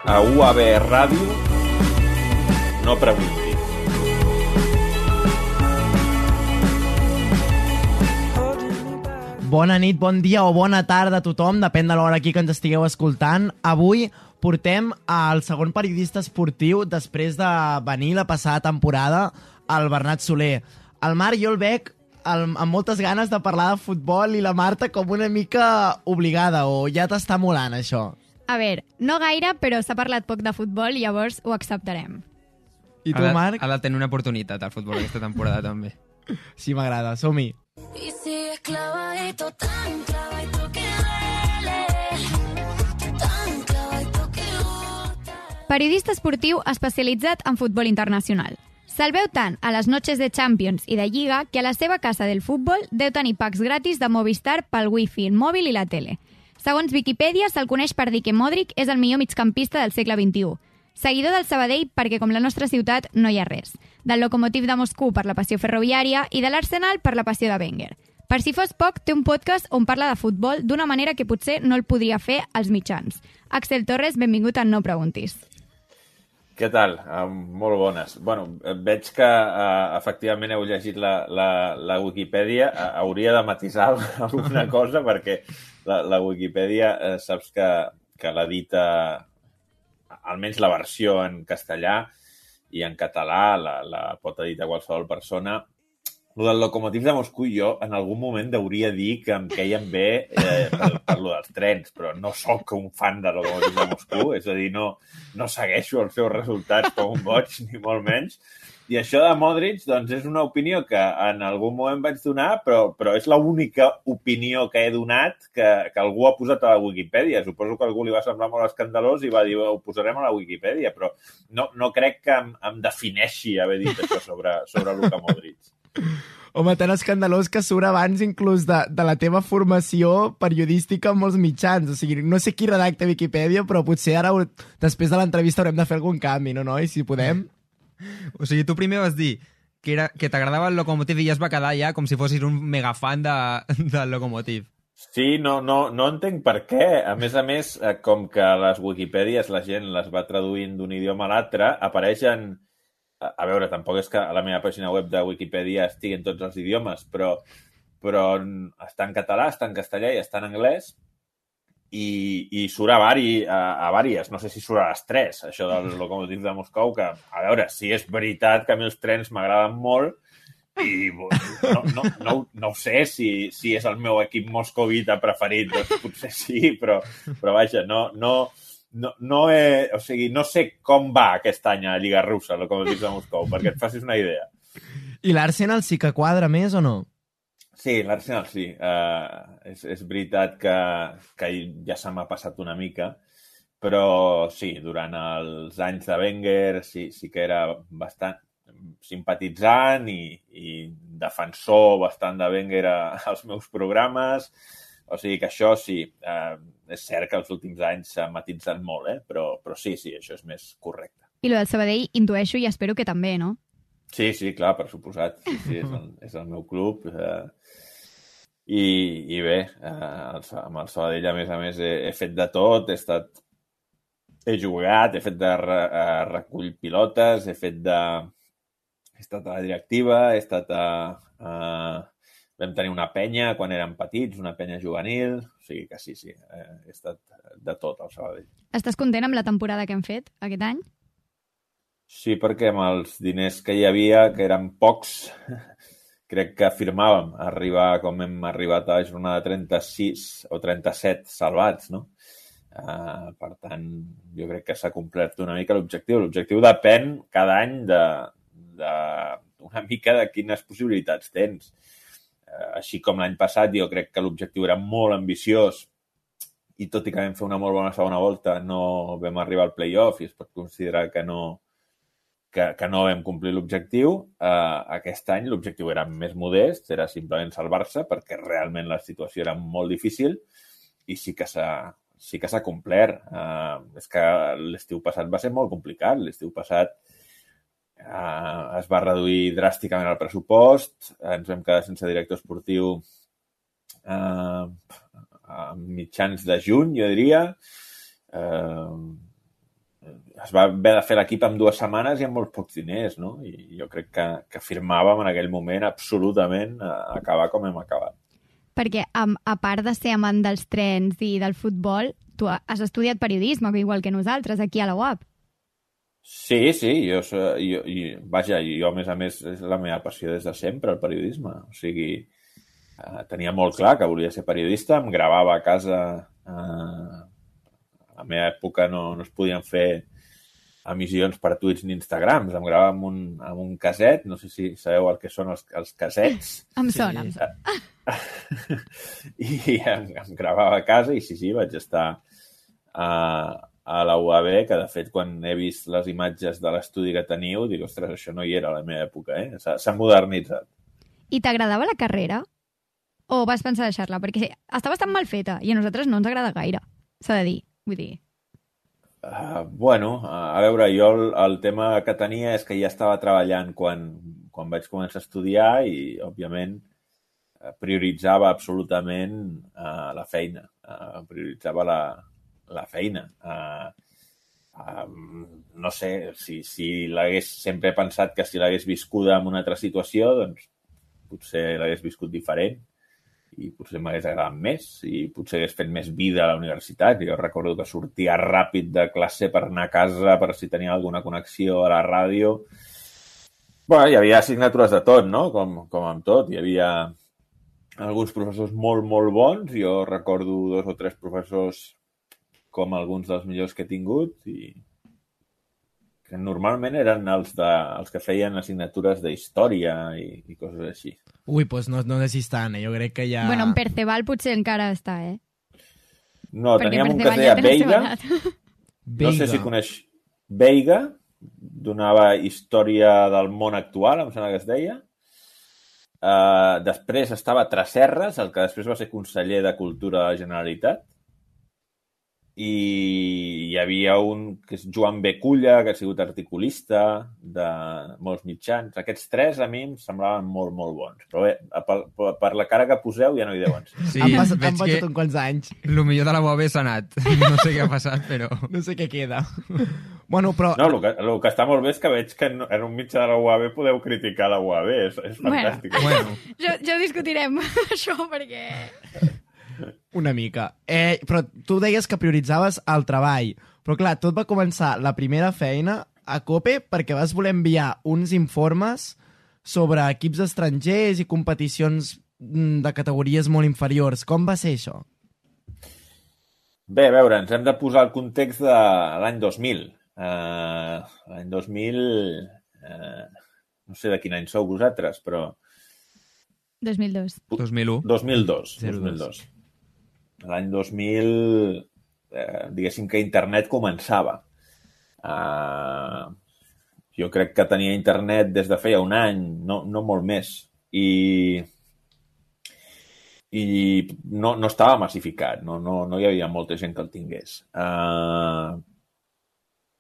a UAB Ràdio No Preguntis. Bona nit, bon dia o bona tarda a tothom, depèn de l'hora aquí que ens estigueu escoltant. Avui portem al segon periodista esportiu després de venir la passada temporada, el Bernat Soler. El Marc jo el veig amb moltes ganes de parlar de futbol i la Marta com una mica obligada, o ja t'està molant això? A veure, no gaire, però s'ha parlat poc de futbol i llavors ho acceptarem. I tu, Marc? Ha de tenir una oportunitat al futbol aquesta temporada, també. Sí, m'agrada, som-hi. Y sigues clavadito, tan clavadito que duele, tan clavadito que gusta. Periodista esportiu especialitzat en futbol internacional. Se'l veu tant a les noches de Champions i de Lliga que a la seva casa del futbol deu tenir packs gratis de Movistar pel wifi, el mòbil i la tele. Segons Viquipèdia, se'l coneix per dir que Modric és el millor migcampista del segle XXI. Seguidor del Sabadell perquè, com la nostra ciutat, no hi ha res. Del Lokomotiv de Moscou per la passió ferroviària i de l'Arsenal per la passió de Wenger. Per si fos poc, té un podcast on parla de futbol d'una manera que potser no el podria fer als mitjans. Axel Torres, benvingut a No Preguntis. Què tal? Molt bones. Bueno, veig que efectivament heu llegit la Wikipedia. Hauria de matisar alguna cosa perquè la Wikipedia saps que l'edita, almenys la versió en castellà i en català, la pot editar qualsevol persona. Lo del Lokomotiv de Moscou jo en algun moment hauria dir que em queien bé per lo dels trens, però no sóc un fan de Lokomotiv de Moscou, és a dir, no segueixo els seus resultats com un boig, ni molt menys. I això de Modric, doncs, és una opinió que en algun moment vaig donar, però és l'única opinió que he donat que algú ha posat a la Wikipedia. Suposo que a algú li va semblar molt escandalós i va dir, ho posarem a la Wikipedia, però no crec que em defineixi haver dit això sobre Luka Modric. Home, tan escandalós que surt abans inclús de la teva formació periodística en molts mitjans. O sigui, no sé qui redacta Wikipedia, però potser ara, després de l'entrevista, haurem de fer algun canvi, no, noi? Si podem. O sigui, tu primer vas dir que t'agradava el Lokomotiv i ja es va quedar ja com si fossis un megafan del Lokomotiv. Sí, no entenc per què. A més, com que les Wikipèdies la gent les va traduint d'un idioma a l'altre, apareixen... A veure, tampoc és que a la meva pàgina web de Wikipedia estigui en tots els idiomes, però està en català, està en castellà i està en anglès i surt a vàries. No sé si surt a les 3, això del Lokomotiv de Moscou, que, a veure, sí és veritat que a mi els trens m'agraden molt i no ho sé si és el meu equip moscovita preferit, doncs potser sí, però vaja, o sigui, no sé com va aquest any a Lliga Russa, el Lokomotiv de Moscou, perquè et facis una idea. I l'Arsenal sí que quadra més o no? Sí, l'Arsenal sí. És veritat que ja se m'ha passat una mica, però sí, durant els anys de Wenger sí que era bastant simpatitzant i defensor bastant de Wenger als meus programes. O sigui que això sí, és cert que els últims anys s'ha matitzat molt, però sí, això és més correcte. I lo del Sabadell intueixo i espero que també, no? Sí, clar, per suposat. Sí, és el meu club. I bé, amb el Sabadell, a més, he fet de tot. He jugat, he fet de recull pilotes, he estat a la directiva, he estat vam tenir una penya quan érem petits, una penya juvenil, o sigui que sí, he estat de tot al Sabadell. Estàs content amb la temporada que hem fet aquest any? Sí, perquè amb els diners que hi havia, que eren pocs, crec que afirmàvem arribar com hem arribat a la jornada 36 o 37 salvats, no? Per tant, jo crec que s'ha complert una mica l'objectiu. L'objectiu depèn cada any d'una mica de quines possibilitats tens. Així com l'any passat, jo crec que l'objectiu era molt ambiciós i tot i que vam fer una molt bona segona volta no vam arribar al play-off i es pot considerar que no vam complir l'objectiu. Aquest any l'objectiu era més modest, era simplement salvar-se perquè realment la situació era molt difícil i sí que s'ha complert. És que l'estiu passat va ser molt complicat. L'estiu passat es va reduir dràsticament el pressupost, ens vam quedar sense director esportiu a mitjans de juny, jo diria. es va haver de fer l'equip en 2 setmanes i amb molts pocs diners, no? I jo crec que firmàvem en aquell moment absolutament acabar com hem acabat. Perquè, a part de ser amant dels trens i del futbol, tu has estudiat periodisme, igual que nosaltres, aquí a la UAP. Sí, jo, a més a més, és la meva passió des de sempre, el periodisme. O sigui, tenia molt clar que volia ser periodista, em gravava a casa. A la meva època no es podien fer emissions per tuits ni Instagrams, em gravava amb un caset, no sé si sabeu el que són els casets. Em sona. I em gravava a casa i sí, vaig estar a la UAB, que de fet quan he vist les imatges de l'estudi que teniu, dic, ostres, això no hi era a la meva època, s'ha modernitzat. I t'agradava la carrera? O vas pensar deixar-la? Perquè està bastant mal feta i a nosaltres no ens agrada gaire, s'ha de dir. Vull dir... Bueno, a veure, jo el tema que tenia és que ja estava treballant quan vaig començar a estudiar i, òbviament, prioritzava absolutament la feina. Prioritzava la feina. No sé, si l'hagués sempre pensat que si l'hagués viscuda en una altra situació, doncs potser l'hagués viscut diferent i potser m'hagués agradat més i potser hagués fet més vida a la universitat. Jo recordo que sortia ràpid de classe per anar a casa per si tenia alguna connexió a la ràdio. Bueno, hi havia assignatures de tot, no? Com amb tot. Hi havia alguns professors molt, molt bons. Jo recordo 2 o 3 professors com alguns dels millors que he tingut i que normalment eren els que feien assignatures d'història i coses així. Ui, doncs no sé si estan, jo crec que ja... Bueno, en Perceval potser encara està, No, teníem un que es deia Veiga. No sé si coneix Veiga, donava història del món actual, em sembla que es deia. Després estava Tresserras, el que després va ser conseller de Cultura de la Generalitat. I hi havia un que és Joan Beculla, que ha sigut articulista de molts mitjans. Aquests 3 a mi em semblaven molt, molt bons. Però bé, per la cara que poseu ja no hi deuen ser. Sí, han passat uns quants anys. El millor de la UAB s'ha anat. No sé què ha passat, però... No sé què queda. Bueno, però... No, el que està molt bé és que veig que en un mitjà de la UAB podeu criticar la UAB. És fantàstic. Bueno. Jo discutirem això perquè... Una mica. Però tu deies que prioritzaves el treball. Però clar, tot va començar la primera feina a COPE perquè vas voler enviar uns informes sobre equips estrangers i competicions de categories molt inferiors. Com va ser això? Bé, a veure, ens hem de posar el context de l'any 2000. L'any 2000... no sé de quin any sou vosaltres, però... 2002. 2001. 2002. L'any 2000, diguéssim que internet començava. Jo crec que tenia internet des de feia un any, no molt més. I no estava massificat, no hi havia molta gent que el tingués.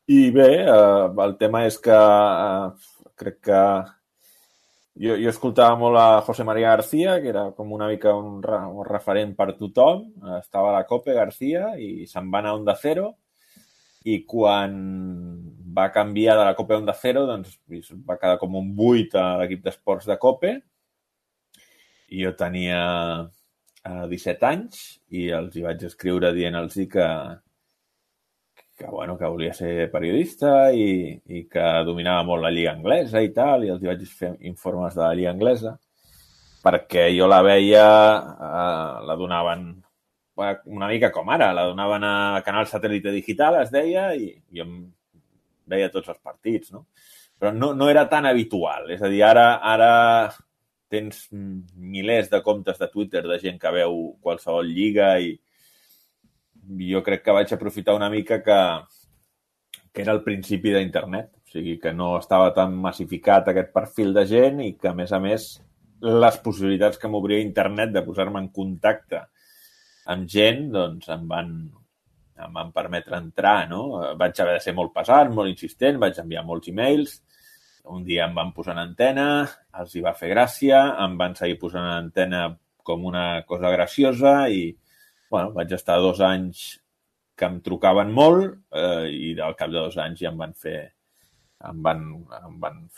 I bé, el tema és que crec que jo escoltava molt a José María García, que era com una mica un referent per tothom. Estava a la COPE, García, i se'n va anar a Onda Cero. I quan va canviar de la COPE a Onda Cero, doncs va quedar com un buit a l'equip d'esports de COPE. I jo tenia 17 anys i els hi vaig escriure dient-los que volia ser periodista i que dominava molt la lliga anglesa i tal, i els hi vaig fer informes de la lliga anglesa, perquè jo la veia, la donaven una mica com ara, la donaven a Canal Satèl·lite Digital, es deia, i jo em veia tots els partits, no? Però no era tan habitual, és a dir, ara tens milers de comptes de Twitter de gent que veu qualsevol lliga i jo crec que vaig aprofitar una mica que era el principi d'internet, o sigui que no estava tan massificat aquest perfil de gent i que, a més, les possibilitats que m'obria internet de posar-me en contacte amb gent, doncs em van permetre entrar, no? Vaig haver de ser molt pesat, molt insistent, vaig enviar molts e-mails, un dia em van posar en antena, els hi va fer gràcia, em van seguir posant en antena com una cosa graciosa i vaig estar 2 anys que em trucaven molt i al cap de 2 anys ja em van fer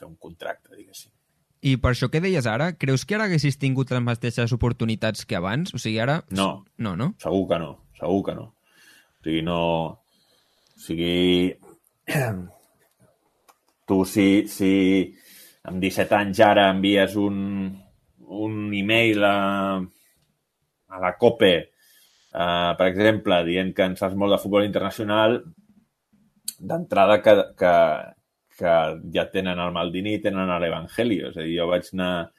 un contracte, diguéssim. I per això que deies ara, creus que ara haguessis tingut les mateixes oportunitats que abans? O sigui, ara... No. No? Segur que no. O sigui, no... O sigui... Tu, si amb 17 anys ara envies un e-mail a la COPE, per exemple, dient que en saps molt de futbol internacional, d'entrada que ja tenen el Maldini i tenen l'Evangelio. És a dir, jo vaig anar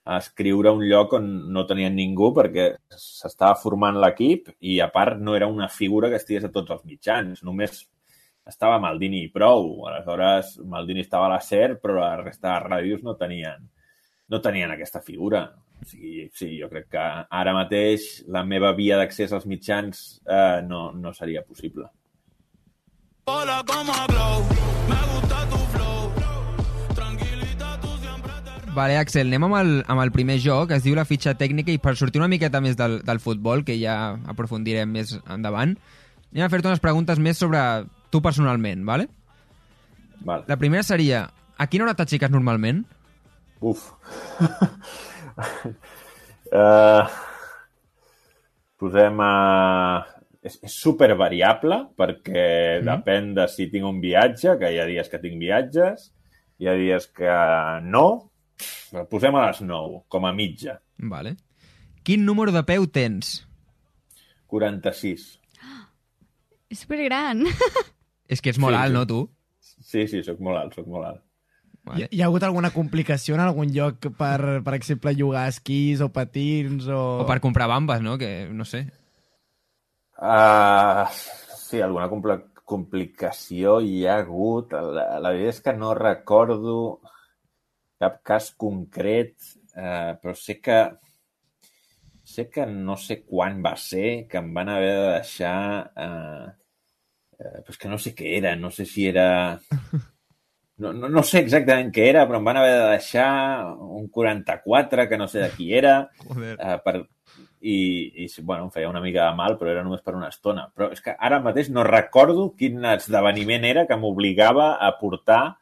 a escriure a un lloc on no tenien ningú perquè s'estava formant l'equip i, a part, no era una figura que estigués a tots els mitjans. Només estava Maldini i prou. Aleshores, Maldini estava a la SER, però la resta de ràdios no tenien aquesta figura. O sigui, sí, jo crec que ara mateix la meva via d'accés als mitjans no seria possible. Hola como glow, me gusta tu flow, tranquilita tu siempre te... Vale, Axel, anem amb el primer joc, es diu la fitxa tècnica, i per sortir una miqueta més del futbol, que ja aprofundirem més endavant, anem a fer-te unes preguntes més sobre tu personalment, vale? Vale. La primera seria, a quina hora t'aixeques normalment? Uf. Posem a... És super variable perquè depèn de si tinc un viatge, que hi ha dies que tinc viatges, hi ha dies que no. Posem a les 9, com a mitja. Vale. Quin número de peu tens? 46. És supergran. És que ets molt alt, no, tu? Sí, soc molt alt. Vale. Hi ha hagut alguna complicació en algun lloc per exemple, llogar esquís o patins o... O per comprar bambes, no? Que no sé. Sí, alguna complicació hi ha hagut. La veritat és que no recordo cap cas concret, però sé que no sé quan va ser que em van haver de deixar... però és que no sé què era, no sé si era... No sé exactament què era, però em van haver de deixar un 44, que no sé de qui era, i bueno, em feia una mica de mal, però era només per una estona. Però és que ara mateix no recordo quin esdeveniment era que m'obligava a portar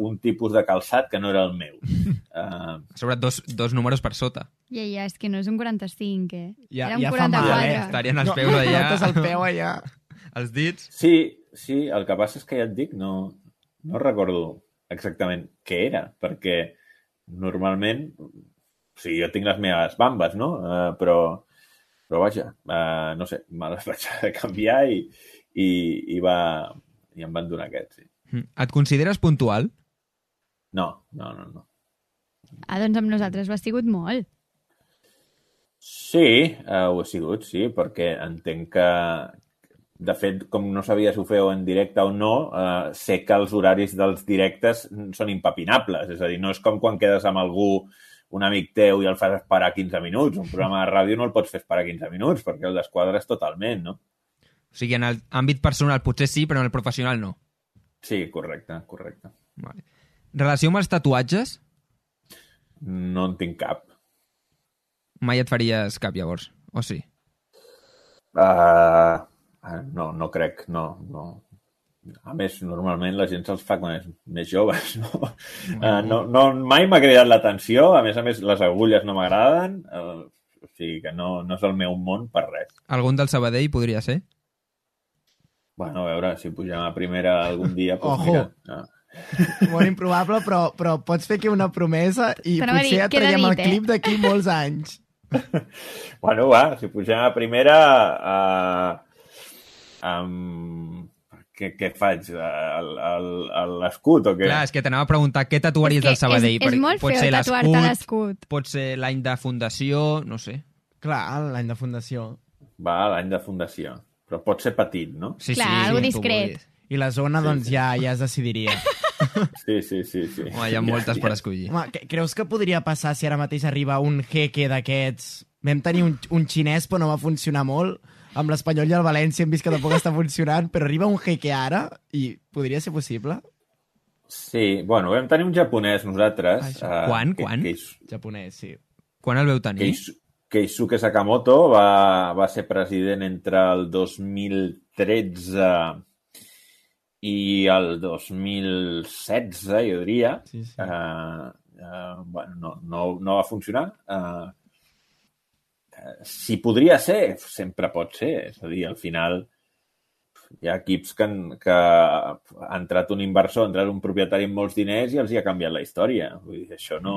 un tipus de calçat que no era el meu. Sobre dos números per sota. Ja, és que no és un 45, eh? Ja Era un fa mal, 44. Estarien els peus allà. Notes el peu allà. Els dits. Sí, el que passa és que ja et dic, no recordo exactament què era, perquè normalment, o sigui, jo tinc les meves bambes, no? Però vaja, no sé, me les vaig canviar i em van donar aquest, sí. Et consideres puntual? No. Doncs amb nosaltres ho has sigut molt. Sí, ho he sigut, sí, perquè entenc que, de fet, com no sabia si ho feu en directe o no, sé que els horaris dels directes són impepinables. És a dir, no és com quan quedes amb algú, un amic teu, i el fas esperar 15 minuts. Un programa de ràdio no el pots fer esperar 15 minuts, perquè el desquadres totalment, no? O sigui, en l'àmbit personal potser sí, però en el professional no. Sí, correcte. Vale. Relació amb els tatuatges? No en tinc cap. Mai et faries cap, llavors? O sí? No crec, no. A més, normalment la gent se'ls fa quan és més joves, no? Mai m'ha cridat l'atenció, a més, les agulles no m'agraden, o sigui que no és el meu món per res. Algun del Sabadell podria ser? Bueno, a veure, si pugem a primera algun dia... Ojo! Mira, Molt improbable, però pots fer aquí una promesa i Però potser ja traiem el clip d'aquí molts anys. Bueno, va, si pugem a primera... Què faig? L'escut o què? Clar, és que t'anava a preguntar què tatuaries del Sabadell. És molt feo tatuar-te l'escut. Pot ser l'any de fundació, no sé. Clar, l'any de fundació. Va, l'any de fundació. Però pot ser petit, no? Sí, Clar, algo discret. I la zona, doncs, ja es decidiria. Sí. Home, hi ha moltes per escollir. Home, creus que podria passar si ara mateix arriba un jeque d'aquests? Vam tenir un xinès, però no va funcionar molt. Amb l'Espanyol i el València hem vist que tampoc està funcionant, però arriba un jeque ara i podria ser possible? Sí, bueno, vam tenir un japonès nosaltres. Quan? Japonès, sí. Quan el veu tenir? Keisuke Sakamoto va ser president entre el 2013 i el 2016, jo diria. Sí. Bueno, no va funcionar. Si podria ser, sempre pot ser. És a dir, al final hi ha equips que ha entrat un inversor, ha entrat un propietari amb molts diners i els hi ha canviat la història. Vull dir, això no...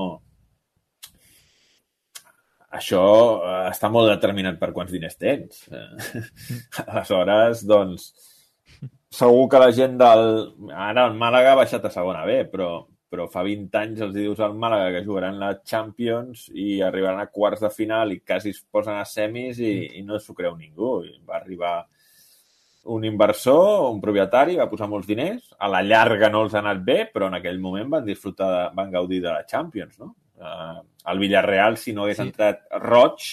Això està molt determinat per quants diners tens. Aleshores, doncs, segur que la gent Ara el Màlaga ha baixat a segona B, però fa 20 anys els dius al Màlaga que jugaran la Champions i arribaran a quarts de final i quasi es posen a semis i no s'ho creu ningú. Va arribar un inversor, un propietari, va posar molts diners, a la llarga no els ha anat bé, però en aquell moment van gaudir de la Champions, no? El Villarreal, si no hagués entrat roig,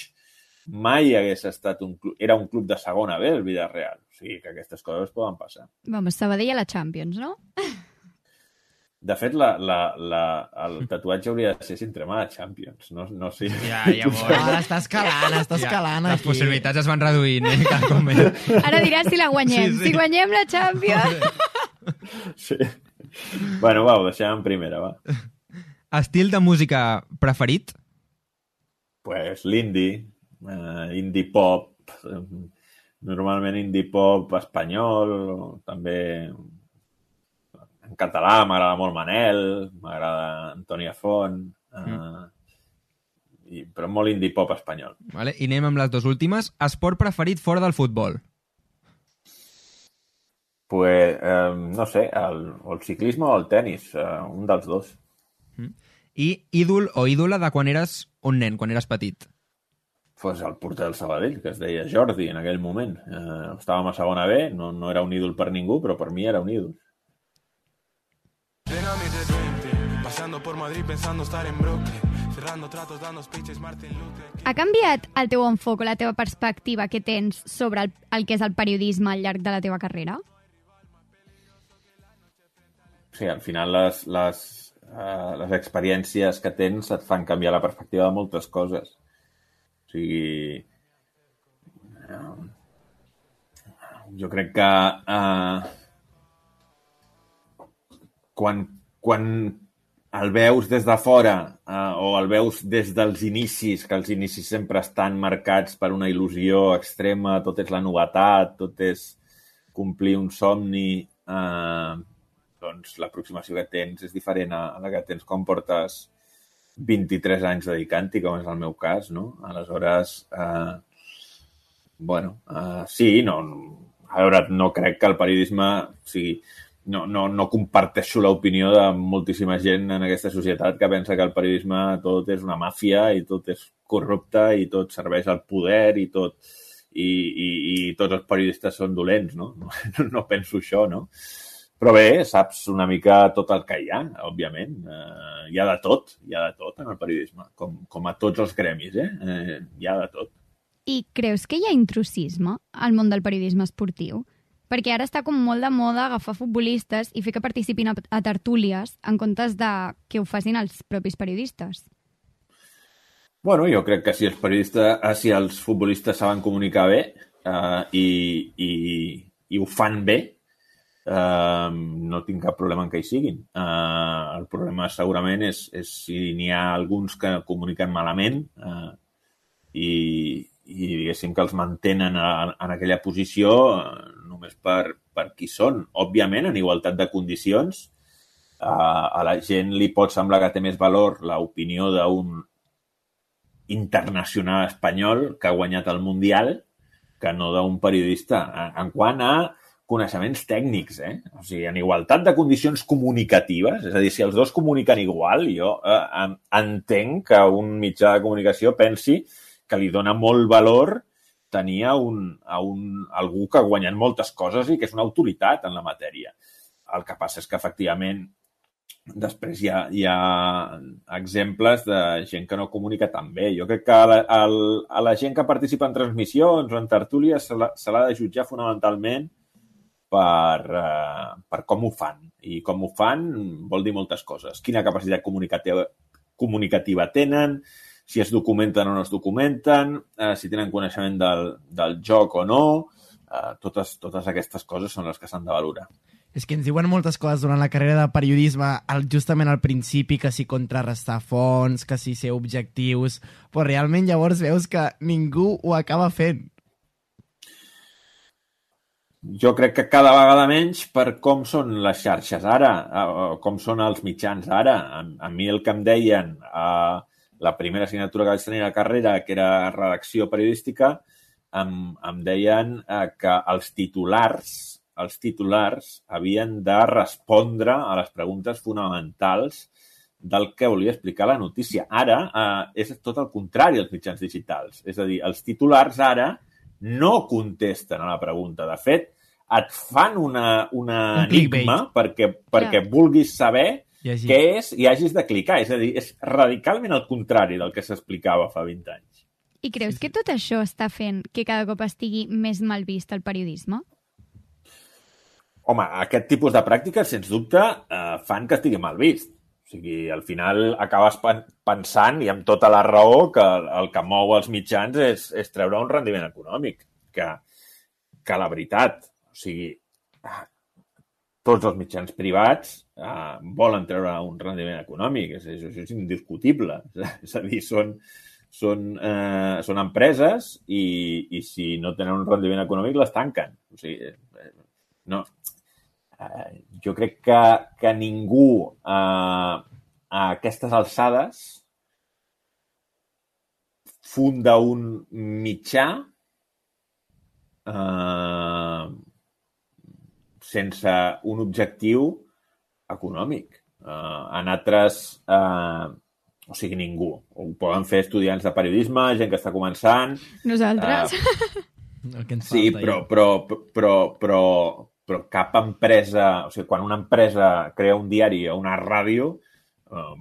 mai hagués estat era un club de segona B, el Villarreal. O sigui que aquestes coses poden passar. Vamos, Sabadell a la Champions, no? De fet, el tatuatge hauria de ser si entrem a la Champions. No sé. Ja Està escalant les aquí. possibilitats es van reduint, cada cop més. Ara diràs si la guanyem. Sí. Si guanyem la Champions... Sí. Bueno, va, ho deixem en primera, va. Estil de música preferit? Pues l'indie, indie pop, normalment indie pop espanyol, també en català m'agrada molt Manel, m'agrada Antònia Font, però molt indie pop espanyol. Vale. I anem amb les dues últimes. Esport preferit fora del futbol? Pues, no sé, o el ciclisme o el tenis, un dels dos. I ídol o ídola de quan eres un nen, quan eres petit? Pues el porter del Sabadell, que es deia Jordi en aquell moment. Estàvem a segona B, no era un ídol per ningú, però per mi era un ídol. Ha canviat el teu enfoc o la teva perspectiva que tens sobre el que és el periodisme al llarg de la teva carrera? Sí, al final les experiències que tens et fan canviar la perspectiva de moltes coses. O sigui, jo crec que quan el veus des de fora o el veus des dels inicis, que els inicis sempre estan marcats per una il·lusió extrema, tot és la novetat, tot és complir un somni, doncs l'aproximació que tens és diferent a la que tens quan portes 23 anys dedicant-hi, com és el meu cas, no? Aleshores, sí, a veure, no crec que el periodisme, o sigui, no comparteixo l'opinió de moltíssima gent en aquesta societat que pensa que el periodisme tot és una màfia i tot és corrupte i tot serveix al poder i tots els periodistes són dolents, no? No penso això, no? Però bé, saps una mica tot el que hi ha, òbviament. Hi ha de tot en el periodisme, com a tots els gremis, hi ha de tot. I creus que hi ha intrusisme al món del periodisme esportiu? Perquè ara està com molt de moda agafar futbolistes i fer que participin a tertúlies en comptes de que ho facin els propis periodistes. Bueno, jo crec que si els futbolistes saben comunicar bé i ho fan bé, no tinc cap problema en què hi siguin. El problema segurament és si n'hi ha alguns que comuniquen malament i diguéssim que els mantenen en aquella posició només per qui són. Òbviament, en igualtat de condicions, a la gent li pot semblar que té més valor l'opinió d'un internacional espanyol que ha guanyat el Mundial que no d'un periodista. En quant a coneixements tècnics, O sigui, en igualtat de condicions comunicatives, és a dir, si els dos comuniquen igual, jo entenc que un mitjà de comunicació pensi que li dona molt valor tenir algú que ha guanyat moltes coses i que és una autoritat en la matèria. El que passa és que, efectivament, després hi ha exemples de gent que no comunica tan bé. Jo crec que a la gent que participa en transmissions o en tertúlies se l'ha de jutjar fonamentalment per com ho fan. I com ho fan vol dir moltes coses. Quina capacitat comunicativa tenen, si es documenten o no es documenten, si tenen coneixement del joc o no, totes aquestes coses són les que s'han de valorar. És que ens diuen moltes coses durant la carrera de periodisme, justament al principi, que si contrarrestar fonts, que si ser objectius, però realment llavors veus que ningú ho acaba fent. Jo crec que cada vegada menys per com són les xarxes ara, com són els mitjans ara. A mi el que em deien la primera assignatura que vaig tenir a la carrera, que era redacció periodística, em deien que els titulars havien de respondre a les preguntes fonamentals del que volia explicar la notícia. Ara és tot el contrari als mitjans digitals. És a dir, els titulars ara no contesten a la pregunta. De fet, et fan un enigma perquè vulguis saber què és i hagis de clicar. És a dir, és radicalment el contrari del que s'explicava fa 20 anys. I creus que tot això està fent que cada cop estigui més mal vist el periodisme? Home, aquest tipus de pràctiques, sens dubte, fan que estigui mal vist. O sigui, al final acabes pensant, i amb tota la raó, que el que mou els mitjans és treure un rendiment econòmic. Que la veritat, o sigui, tots els mitjans privats volen treure un rendiment econòmic. Això és indiscutible. És a dir, són empreses i si no tenen un rendiment econòmic les tanquen. O sigui, no. Jo crec que ningú a aquestes alçades funda un mitjà sense un objectiu econòmic. En altres... o sigui, ningú. Ho poden fer estudiants de periodisme, gent que està començant... Nosaltres. Sí, però cap empresa... O sigui, quan una empresa crea un diari o una ràdio,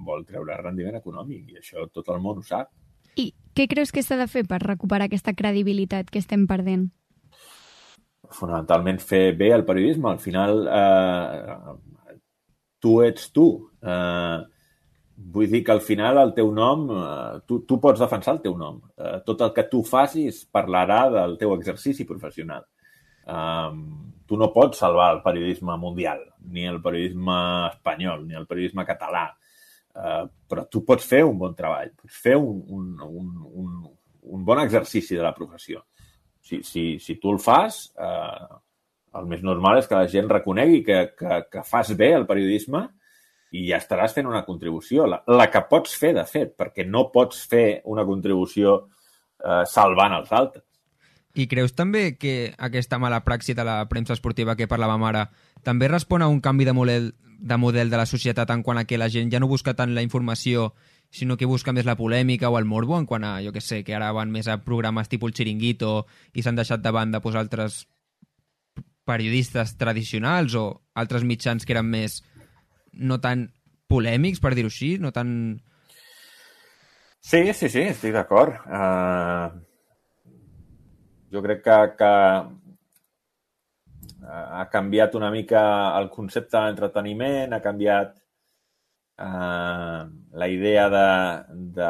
vol treure rendiment econòmic, i això tot el món ho sap. I què creus que s'ha de fer per recuperar aquesta credibilitat que estem perdent? Fonamentalment fer bé el periodisme. Al final, tu ets tu. Vull dir que al final el teu nom, tu pots defensar el teu nom. Tot el que tu facis parlarà del teu exercici professional. Tu no pots salvar el periodisme mundial, ni el periodisme espanyol, ni el periodisme català, però tu pots fer un bon treball, pots fer un bon exercici de la professió. Si tu el fas, el més normal és que la gent reconegui que fas bé el periodisme i ja estaràs fent una contribució, la que pots fer, de fet, perquè no pots fer una contribució salvant els altres. I creus també que aquesta mala praxi de la premsa esportiva que parlàvem ara també respon a un canvi de model de la societat en quant a que la gent ja no busca tant la informació, sinó que busca més la polèmica o el morbo, en quant a, jo què sé, que ara van més a programes tipus el Chiringuito i s'han deixat de banda altres periodistes tradicionals o altres mitjans que eren més no tan polèmics, per dir-ho així, no tan... Sí, estic d'acord. Jo crec que ha canviat una mica el concepte de l'entreteniment, ha canviat la idea de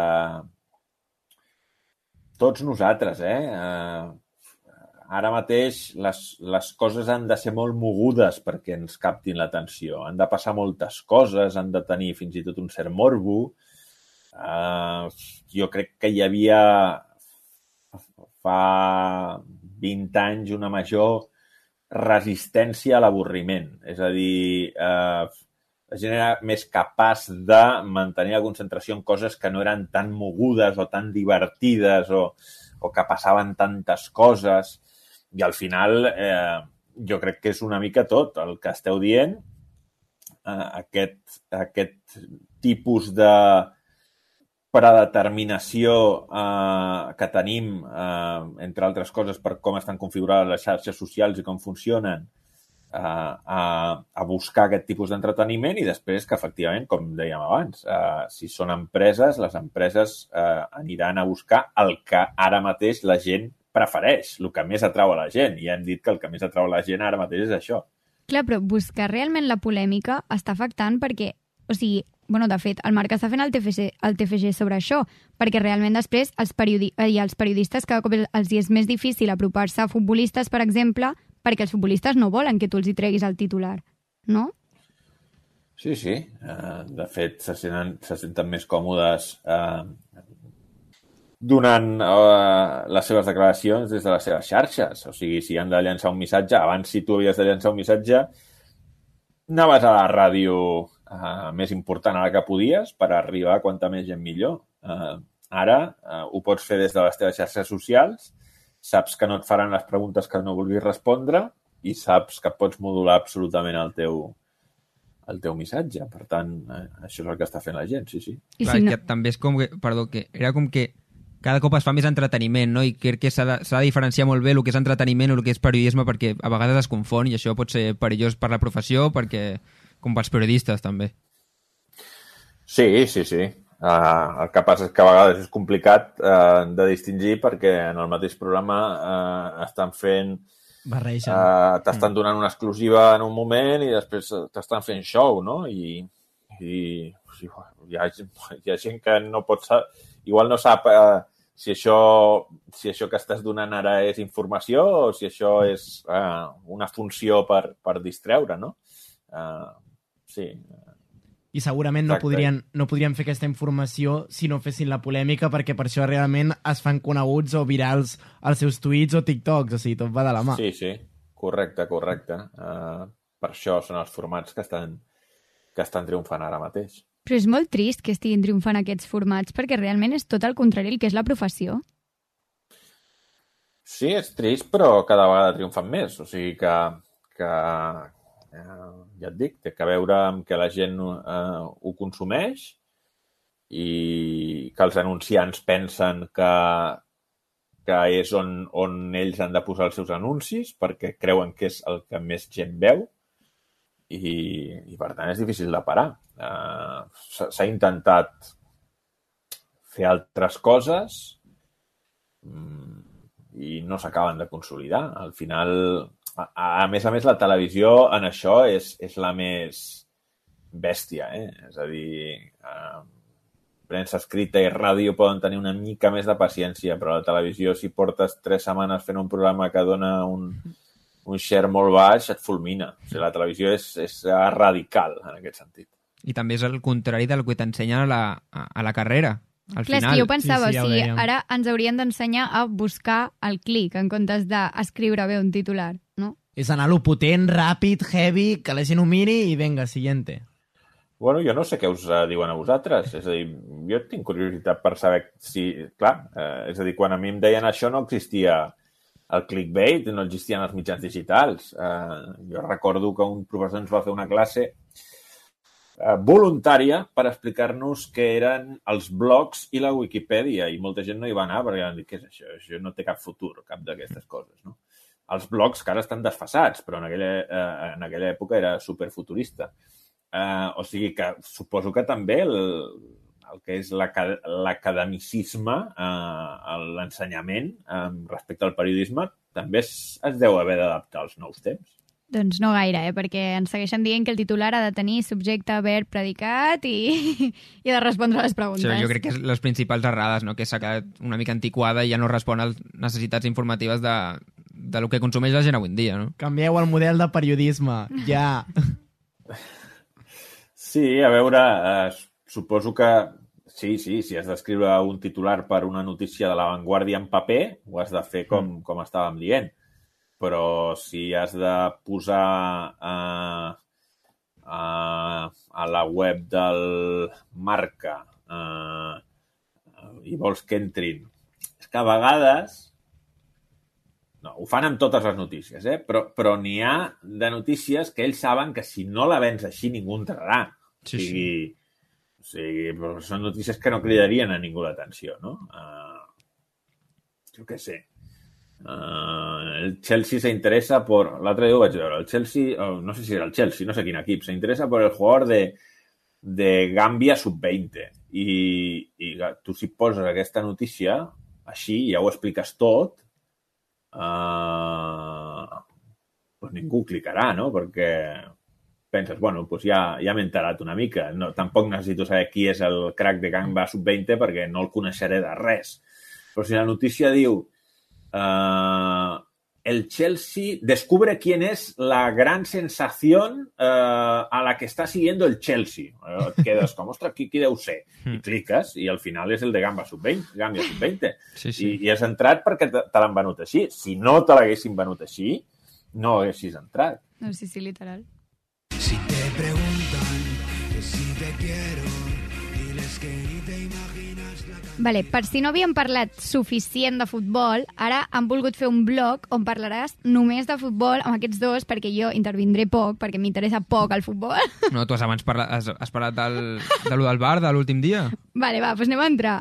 tots nosaltres, Ara mateix les coses han de ser molt mogudes perquè ens captin l'atenció. Han de passar moltes coses, han de tenir fins i tot un cert morbo. Jo crec que hi havia fa 20 anys una major resistència a l'avorriment. És a dir, la gent era més capaç de mantenir la concentració en coses que no eren tan mogudes o tan divertides o que passaven tantes coses. I al final jo crec que és una mica tot el que esteu dient. Aquest tipus de predeterminació que tenim, entre altres coses, per com estan configurades les xarxes socials i com funcionen, a buscar aquest tipus d'entreteniment i després que, efectivament, com dèiem abans, si són empreses, les empreses aniran a buscar el que ara mateix la gent prefereix, el que més atrau a la gent. I hem dit que el que més atrau a la gent ara mateix és això. Clar, però buscar realment la polèmica està afectant perquè, o sigui, Bueno, de fet, el Marc està fent el TFG sobre això, perquè realment després els periodistes cada cop els hi és més difícil apropar-se a futbolistes, per exemple, perquè els futbolistes no volen que tu els hi treguis el titular, no? Sí, sí. De fet, se senten més còmodes donant les seves declaracions des de les seves xarxes. O sigui, si han de llançar un missatge, abans si tu havies de llançar un missatge, anaves a la ràdio més important a la que podies per arribar a quanta més gent millor. Ara ho pots fer des de les teves xarxes socials, saps que no et faran les preguntes que no vulguis respondre i saps que pots modular absolutament el teu missatge. Per tant, això és el que està fent la gent, sí, sí. Clar, que també és com que, que era com que cada cop es fa més entreteniment, no? I crec que s'ha de diferenciar molt bé el que és entreteniment o el que és periodisme, perquè a vegades es confon i això pot ser perillós per la professió, com pels periodistes també. Sí. El que passa és que a vegades és complicat de distingir perquè en el mateix programa estan fent... t'estan donant una exclusiva en un moment i després t'estan fent show, no? I hi ha gent que no pot saber... Igual no sap si això que estàs donant ara és informació o si això és una funció per distreure, no? Sí. I segurament no podrien fer aquesta informació si no fessin la polèmica, perquè per això realment es fan coneguts o virals els seus tuits o TikToks, o sigui, tot va de la mà. Sí, correcte. Per això són els formats que estan triomfant ara mateix. Però és molt trist que estiguin triomfant aquests formats, perquè realment és tot el contrari el que és la professió. Sí, és trist, però cada vegada triomfan més. O sigui que ja et dic, té que veure amb que la gent ho consumeix i que els anunciants pensen que és on ells han de posar els seus anuncis perquè creuen que és el que més gent veu i per tant és difícil de parar. S'ha intentat fer altres coses i no s'acaben de consolidar. Al final, a més, la televisió en això és la més bèstia, És a dir, premsa escrita i ràdio poden tenir una mica més de paciència, però la televisió, si portes 3 setmanes fent un programa que dona un share molt baix, et fulmina. O sigui, la televisió és radical en aquest sentit. I també és el contrari del que t'ensenyen a la carrera. Al Clar, final. és que jo pensava, sí, ja o sigui, ara ens haurien d'ensenyar a buscar el clic en comptes d'escriure bé un titular, no? És anar a lo potent, ràpid, heavy, que la gent ho miri i venga, siguiente. Bueno, jo no sé què us diuen a vosaltres. És a dir, jo tinc curiositat per saber si... Clar, és a dir, quan a mi em deien això no existia el clickbait, no existien els mitjans digitals. Jo recordo que un professor ens va fer una classe voluntària per explicar-nos què eren els blogs i la Wikipedia, i molta gent no hi va anar perquè van dir, què és això? Això no té cap futur, cap d'aquestes coses, no? Els blogs que ara estan desfasats, però en aquella època era superfuturista. O sigui que suposo que també el que és l'academicisme, l'ensenyament respecte al periodisme, també es deu haver d'adaptar als nous temps. Doncs no gaire, perquè ens segueixen dient que el titular ha de tenir subjecte, verb, predicat i ha de respondre a les preguntes. Sí, jo crec que és les principals errades, no? Que s'ha quedat una mica antiquada i ja no respon a les necessitats informatives de lo que consumeix la gent avui en dia, no? Canvieu el model de periodisme, ja. Sí, a veure, suposo que sí, si has d'escriure un titular per una notícia de La Vanguardia en paper, ho has de fer com estàvem dient. Però si has de posar a la web del Marca i vols que entrin... És que a vegades... No, ho fan amb totes les notícies, però n'hi ha de notícies que ells saben que si no la vens així ningú entrarà. Sí. O sigui, però són notícies que no cridarien a ningú l'atenció, no? Jo què sé. El Chelsea se interesa por... L'altre dia ho vaig veure. El Chelsea, no sé si era el Chelsea, no sé quin equip, se interesa por el jugador de Gàmbia sub-20. I tu si poses aquesta notícia, així, ja ho expliques tot, doncs ningú clicarà, no? Perquè penses, bueno, doncs ja m'he enterat una mica. No, tampoc necessito saber qui és el crack de Gamba Sub-20 perquè no el coneixeré de res. Però si la notícia diu el Chelsea descubre quién es la gran sensación a la que está siguiendo el Chelsea. Et quedes com, ostres, qui deu ser? I cliques i al final és el de Gamba Sub-20. Sí. I has entrat perquè te l'han venut així. Si no te l'haguessin venut així, no haguessis entrat. No, sí, literal. Si te preguntan que si te quiero, diles que ni te imaginas la Vale, per si no havíem parlat suficient de futbol, ara han volgut fer un blog on parlaràs només de futbol amb aquests dos, perquè jo intervindré poc, perquè m'interessa poc el futbol. No, tu abans has parlat de lo del bar de l'últim dia. Vale, doncs anem a entrar.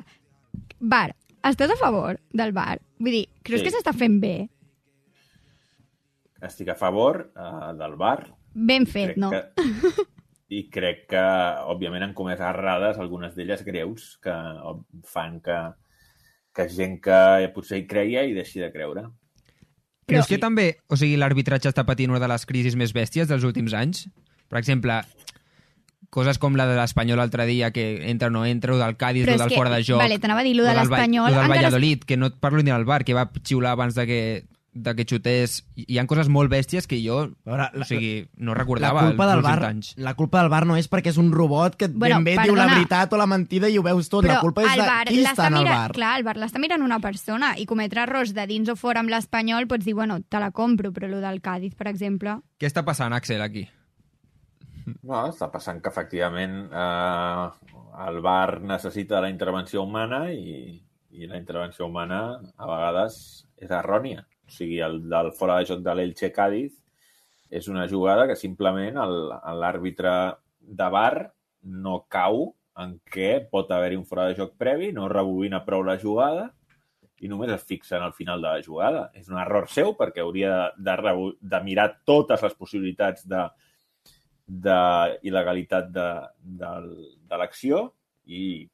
Bar, estàs a favor del bar? Vull dir, creus que s'està fent bé? Estic a favor del VAR. Ben fet, no? I crec que, òbviament, han comès errades, algunes d'elles greus, que fan que gent que potser hi creia i deixi de creure. Creus que també, o sigui, l'arbitratge està patint una de les crisis més bèsties dels últims anys? Per exemple, coses com la de l'Espanyol l'altre dia, que entra o no entra, o del Cádiz, o del fora de joc. Vale, t'anava a dir, lo de l'Espanyol... O del Valladolid, que no et parlo ni del bar, que va xiular abans de que xutés. Hi ha coses molt bèsties que jo o sigui, no recordava els últims anys. La culpa del VAR no és perquè és un robot que ben bé diu la veritat o la mentida i ho veus tot. Però la culpa és de qui està en el VAR. Clar, el VAR l'està mirant una persona i cometre errors de dins o fora amb l'Espanyol pots dir, bueno, te la compro, però el del Cádiz, per exemple... Què està passant, Axel, aquí? No, està passant que, efectivament, el VAR necessita la intervenció humana i la intervenció humana, a vegades, és errònia. O sigui, el del fora de joc de l'Elche Cádiz és una jugada que simplement l'àrbitre de VAR no cau en què pot haver-hi un fora de joc previ, no rebobina prou la jugada i només es fixa en el final de la jugada. És un error seu perquè hauria de mirar totes les possibilitats d'il·legalitat de l'acció i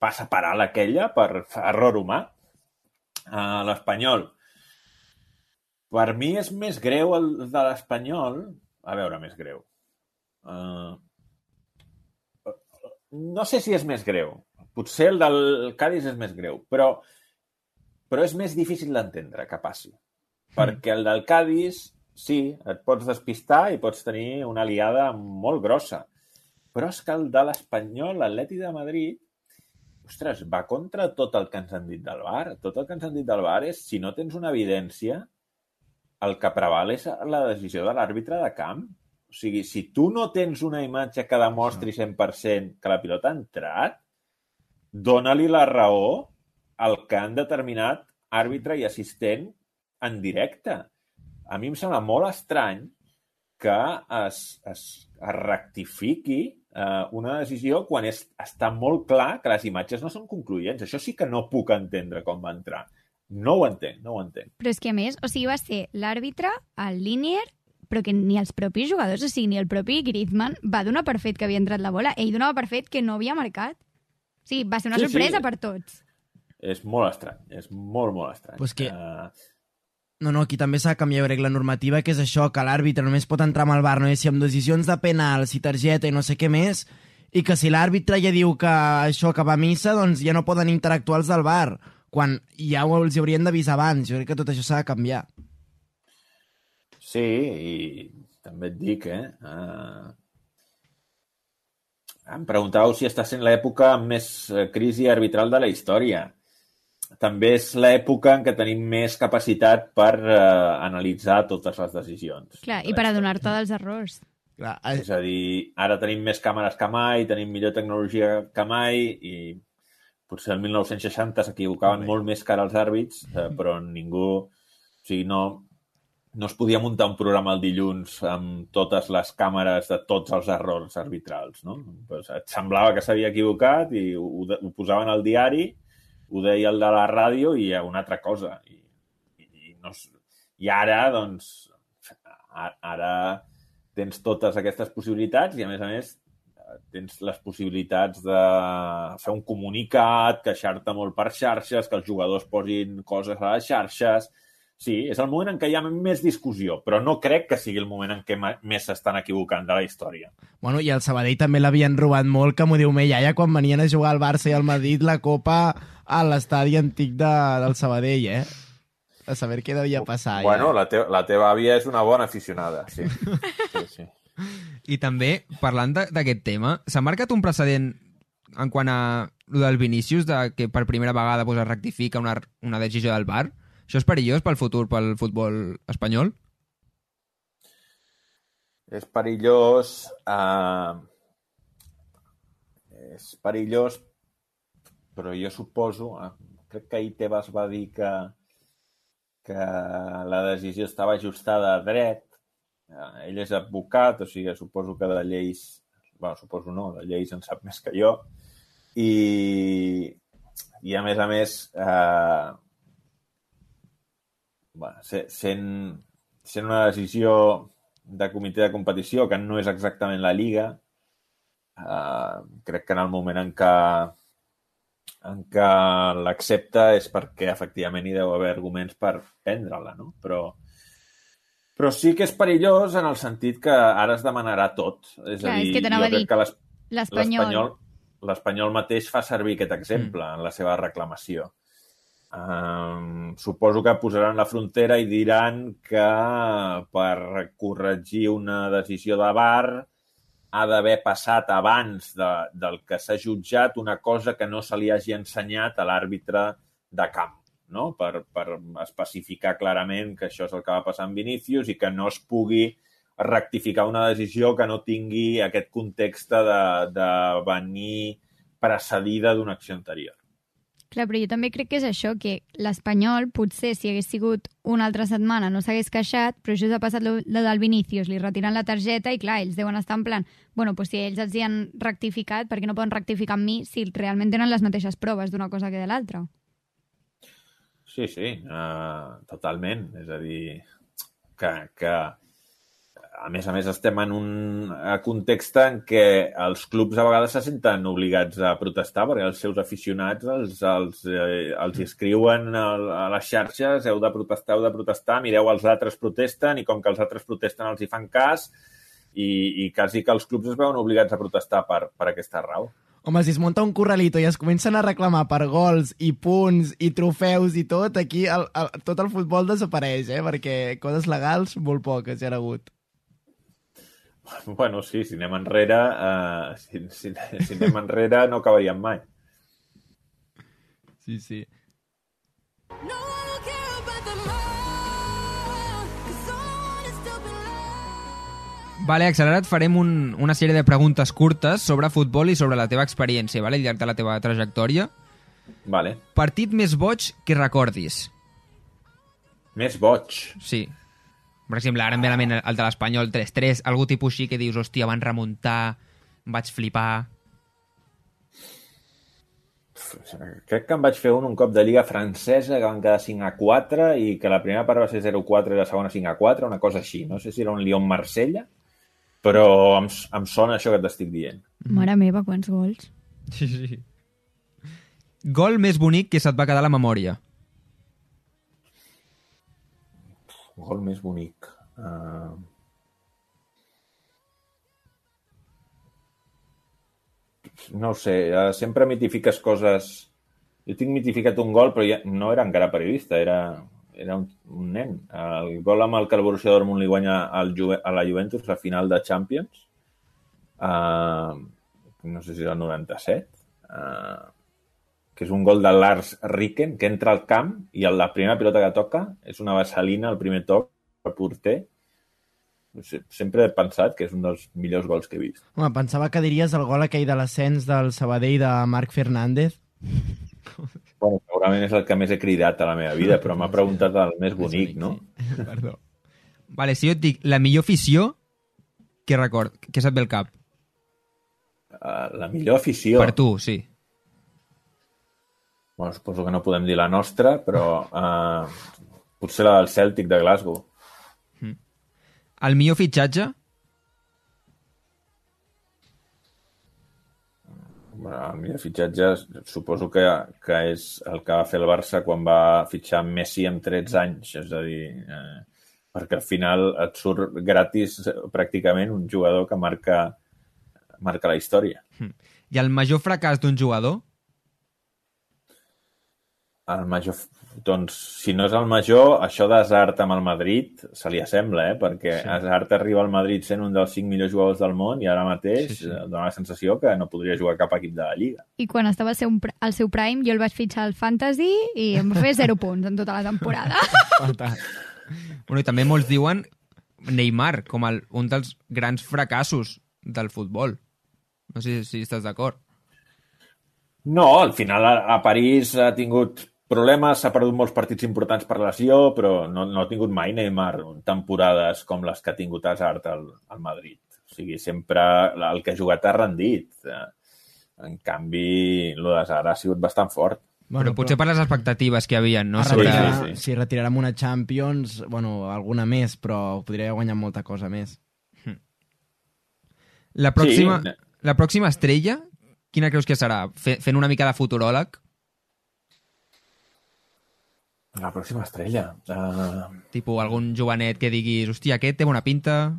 passa per alt aquella per error humà. L'Espanyol, per mi és més greu el de l'Espanyol. A veure, més greu. No sé si és més greu. Potser el del Cádiz és més greu, però és més difícil d'entendre que passi. Perquè el del Cádiz, sí, et pots despistar i pots tenir una aliada molt grossa. Però és que el de l'Espanyol, l'Atleti de Madrid, ostres, va contra tot el que ens han dit del VAR. Tot el que ens han dit del VAR és, si no tens una evidència, el que preval és la decisió de l'àrbitre de camp. O sigui, si tu no tens una imatge que demostri 100% que la pilota ha entrat, dona-li la raó al que han determinat àrbitre i assistent en directe. A mi em sembla molt estrany que es rectifiqui una decisió quan està molt clar que les imatges no són concloents. Això sí que no puc entendre com va entrar. No ho entenc. Però és que, a més, o sigui, va ser l'àrbitre, el Linier, però que ni els propis jugadors, o sigui, ni el propi Griezmann va donar per fet que havia entrat la bola. Ell donava per fet que no havia marcat. O sigui, va ser una sorpresa per tots. És molt estrany, és molt, molt estrany. Pues que... No, aquí també s'ha de canviar, crec, la normativa, que és això, que l'àrbitre només pot entrar amb el VAR, no? I si amb decisions de penal, si targeta i no sé què més, i que si l'àrbitre ja diu que això que va a missa, doncs ja no poden interactuar els del VAR, quan ja els haurien d'avisar abans. Jo crec que tot això s'ha de canviar. Sí, i també et dic, em preguntàveu si està sent l'època amb més crisi arbitral de la història. També és l'època en què tenim més capacitat per analitzar totes les decisions. Clar, i per adonar-te dels errors. Clar, és a dir, ara tenim més càmeres que mai, tenim millor tecnologia que mai i potser el 1960 s'equivocaven molt més que ara els àrbits, però ningú... O sigui, no es podia muntar un programa el dilluns amb totes les càmeres de tots els errors arbitrals, no? Pues et semblava que s'havia equivocat i ho posaven al diari, ho deia el de la ràdio i una altra cosa. I ara, doncs, ara tens totes aquestes possibilitats i, a més, tens les possibilitats de fer un comunicat, queixar-te molt per xarxes, que els jugadors posin coses a les xarxes... Sí, és el moment en què hi ha més discussió, però no crec que sigui el moment en què més s'estan equivocant de la història. Bueno, i el Sabadell també l'havien robat molt, que m'ho diu meu iaia, quan venien a jugar al Barça i al Madrid la Copa a l'estadi antic del Sabadell, eh? A saber què devia passar. Bueno, ja. la teva àvia és una bona aficionada, sí. Sí. I també, parlant d'aquest tema, s'ha marcat un precedent en quant a lo del Vinícius, de que per primera vegada es rectifica una decisió del VAR? Això és perillós pel futur, pel futbol espanyol? És perillós... És perillós, però jo suposo... crec que ahir Tebas va dir que la decisió estava ajustada a dret. Ell és advocat, o sigui, suposo que de lleis... Bueno, suposo no, de lleis en sap més que jo. I a més, sent una decisió de comitè de competició que no és exactament la Lliga, crec que en el moment en què l'accepta és perquè efectivament hi deu haver arguments per prendre-la, no? Però sí que és perillós en el sentit que ara es demanarà tot. És a dir, és que t'anava a dir, l'Espanyol mateix fa servir aquest exemple en la seva reclamació. Suposo que posaran la frontera i diran que per corregir una decisió de VAR ha d'haver passat abans del que s'ha jutjat una cosa que no se li hagi ensenyat a l'àrbitre de camp, no? Per especificar clarament que això és el que va passar amb Vinícius i que no es pugui rectificar una decisió que no tingui aquest context de venir precedida d'una acció anterior. Clar, però jo també crec que és això, que l'Espanyol potser si hagués sigut una altra setmana no s'hagués queixat, però això s'ha passat lo del Vinícius, li retiren la targeta i clar, ells deuen estar en plan, bueno, pues si ells els hi han rectificat, per què no poden rectificar amb mi si realment tenen les mateixes proves d'una cosa que de l'altra? Sí, totalment. És a dir, que a més estem en un context en què els clubs a vegades se senten obligats a protestar perquè els seus aficionats els escriuen a les xarxes heu de protestar, mireu, els altres protesten i com que els altres protesten els hi fan cas i quasi que els clubs es veuen obligats a protestar per aquesta raó. Home, si es munta un corralito i es comencen a reclamar per gols i punts i trofeus i tot, aquí tot el futbol desapareix, perquè coses legals molt poques hi ha hagut. Bueno, sí, si anem enrere, si anem enrere no acabaríem mai. Sí. No, I don't care about the love, 'cause all is still below. Vale, Accelerat, farem una sèrie de preguntes curtes sobre futbol i sobre la teva experiència, vale? Al llarg de la teva trajectòria. Vale. Partit més boig que recordis. Més boig. Sí. Per exemple, ara em ve a la ment el de l'Espanyol 3-3, algú tipus així que dius, hòstia, van remuntar, vaig flipar... Crec que em vaig fer un cop de Lliga francesa que van quedar 5-4 i que la primera part va ser 0-4 i la segona 5-4, una cosa així. No sé si era un Lyon-Marsella, però em sona això que t'estic dient. Mare meva, quants gols. Sí. Gol més bonic que se't va quedar a la memòria. Gol més bonic. No ho sé, sempre mitifiques coses... Jo tinc mitificat un gol, però ja no era encara periodista, era un nen. El gol amb el que el Borussia Dortmund li guanya a la Juventus, la final de Champions, no sé si era el 97, que és un gol de Lars Ricken, que entra al camp i la primera pilota que toca és una vaselina al primer toc al porter. Sempre he pensat que és un dels millors gols que he vist. Home, pensava que diries el gol aquell de l'ascens del Sabadell de Marc Fernández. Bueno, segurament és el que més he cridat a la meva vida, però m'ha preguntat el més bonic, no? Perdó. Vale, si jo et dic la millor afició, què se't ve al cap? La millor afició... Per tu, sí. Bueno, suposo que no podem dir la nostra, però potser la del Celtic de Glasgow. El millor fitxatge? El millor fitxatge suposo que és el que va fer el Barça quan va fitxar Messi amb 13 anys, és a dir, perquè al final et surt gratis pràcticament un jugador que marca la història. I el major fracàs d'un jugador? El major, doncs, si no és el major, això d'Hazard amb el Madrid se li assembla, perquè Hazard arriba al Madrid sent un dels 5 millors jugadors del món i ara mateix dona la sensació que no podria jugar cap equip de la Lliga. I quan estava al seu prime, jo el vaig fitxar al Fantasy i em va fer 0 punts en tota la temporada. Bueno, i també molts diuen Neymar com un dels grans fracassos del futbol. No sé si estàs d'acord. No, al final a París ha tingut problemes, s'ha perdut molts partits importants per lesió, però no ha tingut mai Neymar temporades com les que ha tingut Hazard al Madrid. O sigui, sempre el que ha jugat ha rendit. En canvi, el d'Hazard ha sigut bastant fort. Bueno, potser per les expectatives que hi havia, no? Si retirarem una Champions, bueno, alguna més, però podria guanyar molta cosa més. La pròxima estrella, quina creus que serà? Fent una mica de futuròleg? La pròxima estrella. Tipo algun jovenet que diguis, hòstia, aquest té bona pinta...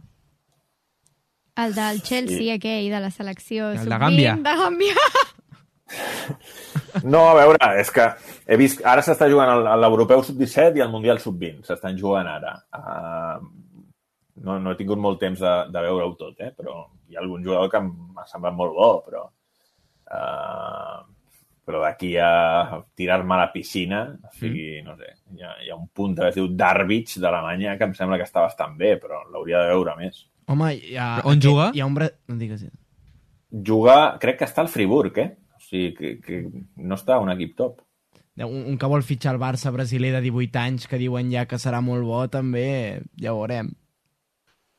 El del Chelsea, aquell, de la selecció El de Gàmbia. De Gàmbia. No, a veure, és que he vist... Ara s'està jugant l'Europeu Sub-17 i el Mundial Sub-20. S'estan jugant ara. No he tingut molt temps de veure-ho tot, però hi ha algun jugador que m'ha semblat molt bo, però d'aquí a tirar-me a la piscina, o sigui, no sé, hi ha un punt que es diu Darwich d'Alemanya que em sembla que està bastant bé, però l'hauria de veure més. Home, on juga? Hi ha un... No digues. Juga, crec que està al Friburg, O sigui, que no està a un equip top. Un que vol fitxar el Barça brasiler de 18 anys, que diuen ja que serà molt bo, també, ja ho veurem.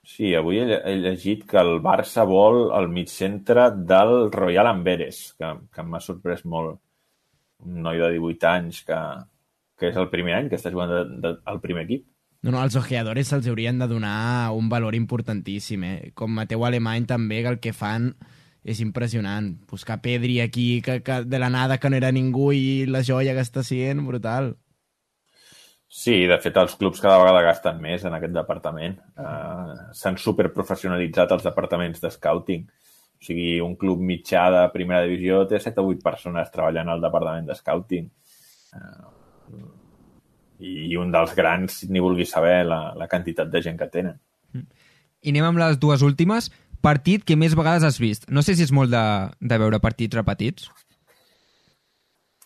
Sí, avui he llegit que el Barça vol el migcentre del Royal Amberes, que m'ha sorprès molt. Un noi de 18 anys que és el primer any que està jugant al primer equip. No, els ojeadores se'ls haurien de donar un valor importantíssim, Com Mateu Alemany també, que el que fan és impressionant. Buscar Pedri aquí, que de la nada que no era ningú i la joia que està sent, brutal. Sí, de fet, els clubs cada vegada gasten més en aquest departament. S'han superprofessionalitzat els departaments de scouting. O sigui, un club mitjà de primera divisió té 7 o 8 persones treballant al departament de scouting. I un dels grans, ni vulgui saber la quantitat de gent que tenen. I anem amb les dues últimes. Partit que més vegades has vist. No sé si és molt de veure partits repetits.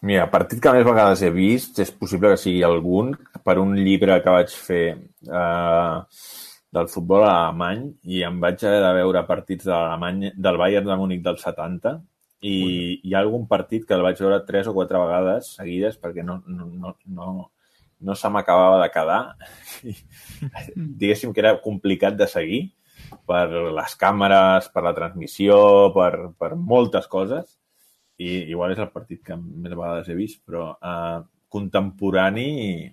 Mira, partit que més vegades he vist, és possible que sigui algun, per un llibre que vaig fer del futbol alemany, i em vaig haver de veure partits del Bayern de Múnich del 70, i hi ha algun partit que el vaig veure 3 o 4 vegades seguides perquè no se m'acabava de quedar. Diguéssim que era complicat de seguir per les càmeres, per la transmissió, per moltes coses. I igual és el partit que més vegades he vist, però contemporani,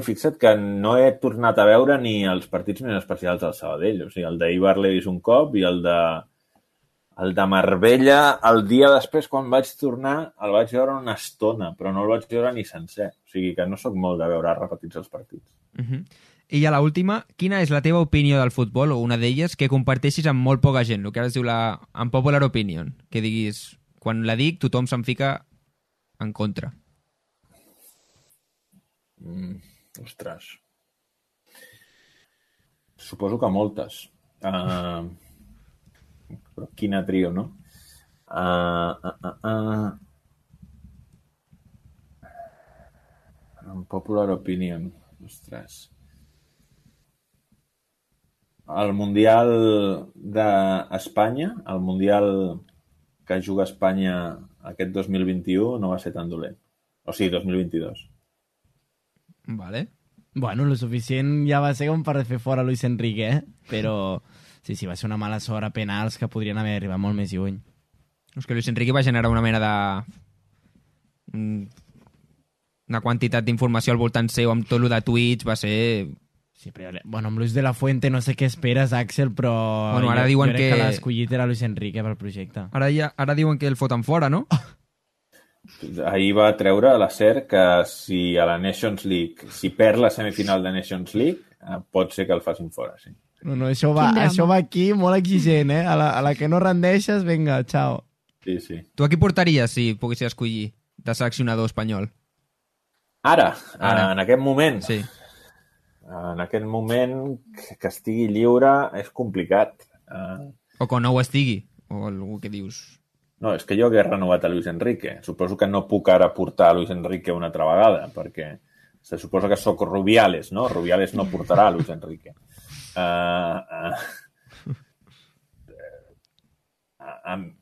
fixa't que no he tornat a veure ni els partits més especials del Sabadell. O sigui, el d'Eibar l'he vist un cop i el de Marbella, el dia després, quan vaig tornar, el vaig veure una estona, però no el vaig veure ni sencer. O sigui que no sóc molt de veure repetits els partits. I ja l'última, quina és la teva opinió del futbol, o una d'elles, que comparteixis amb molt poca gent, el que ara es diu la unpopular opinion, que diguis, quan la dic, tothom se'n fica en contra. Ostres. Suposo que moltes. Però quina trio, no? Unpopular opinion. Ostres. El Mundial d'Espanya, el Mundial que juga Espanya aquest 2021 no va ser tan dolent. O sigui, 2022. Vale. Bueno, lo suficient ja va ser com per fer fora Luis Enrique, Però sí, va ser una mala sort a penals que podrien haver arribat molt més lluny. És que Luis Enrique va generar una mena de... una quantitat d'informació al voltant seu amb tot el de tuits, va ser Sí, però, bueno, amb Luis de la Fuente no sé què esperes, Axel, però Bueno, ara jo diuen crec que que- l'ha escollit era Luis Enrique pel projecte. Ara diuen que el foten fora, no? Ahir va treure la SER que si a la Nations League, si perd la semifinal de Nations League, pot ser que el facin fora, sí. No, això Quin drama. va aquí molt exigent, eh? A la que no rendeixes, vinga, ciao. Sí, sí. Tu a qui portaries si poguessis escollir de seleccionador espanyol? Ara, Ara. en aquest moment, Sí. en aquest moment que estigui lliure és complicat. O que no ho estigui. O algú que dius... No, és que jo hagués renovat a Luis Enrique. Suposo que no puc ara portar a Luis Enrique una altra vegada, perquè se suposa que sóc Rubiales, no? Rubiales no portarà a Luis Enrique.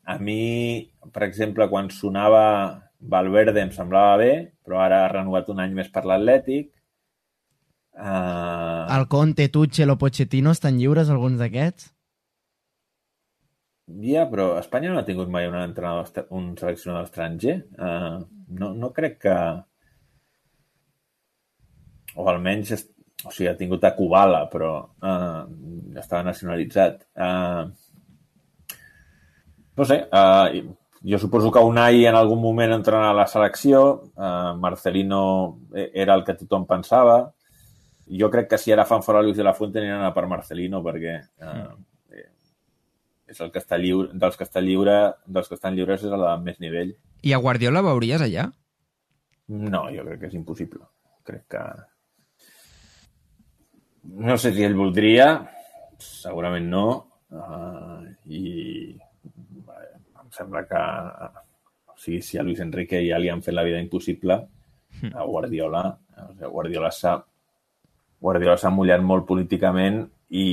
A mi, per exemple, quan sonava Valverde em semblava bé, però ara ha renovat un any més per l'Atlètic. El Conte, Tuchel o Pochettino estan lliures, alguns d'aquests? Ja, però Espanya no ha tingut mai un seleccionador estranger. No crec que... O almenys... O sigui, ha tingut a Kubala, però estava nacionalitzat. No sé, jo suposo que Unai en algun moment entrarà a la selecció. Marcelino era el que tothom pensava. Jo crec que si ara fan fora Luis de la Fuente aniran a per Marcelino, perquè és el que està lliure, dels que estan lliures és el de més nivell. I a Guardiola veuries allà? No, jo crec que és impossible. Crec que... No sé si ell voldria, segurament no, i em sembla que o sigui, si a Luis Enrique ja li han fet la vida impossible, a Guardiola s'ha mullat molt políticament i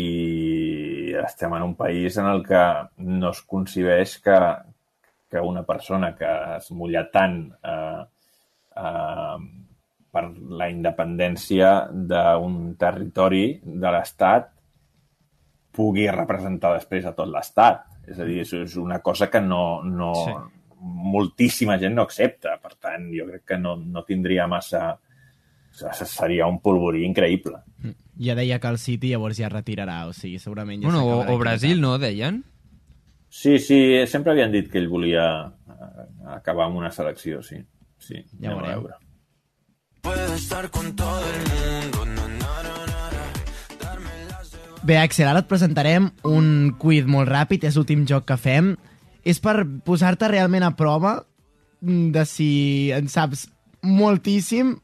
estem en un país en el que no es concebeix que una persona que es mulla tant per la independència d'un territori de l'Estat pugui representar després a tot l'Estat. És a dir, és una cosa que moltíssima gent no accepta. Per tant, jo crec que no tindria massa... Seria un polvorí increïble. Ja deia que el City llavors ja retirarà, o sigui, segurament ja Bueno, s'acabarà o Brasil, equivocat. no, deien? Sí, sempre havien dit que ell volia acabar amb una selecció, sí. Sí, Ja anem a veurem. veure. Puedo estar con todo el mundo, na, na, na, na, na. Darme las de... Bé, Axel, ara et presentarem un quiz molt ràpid, és l'últim joc que fem. És per posar-te realment a prova de si en saps moltíssim,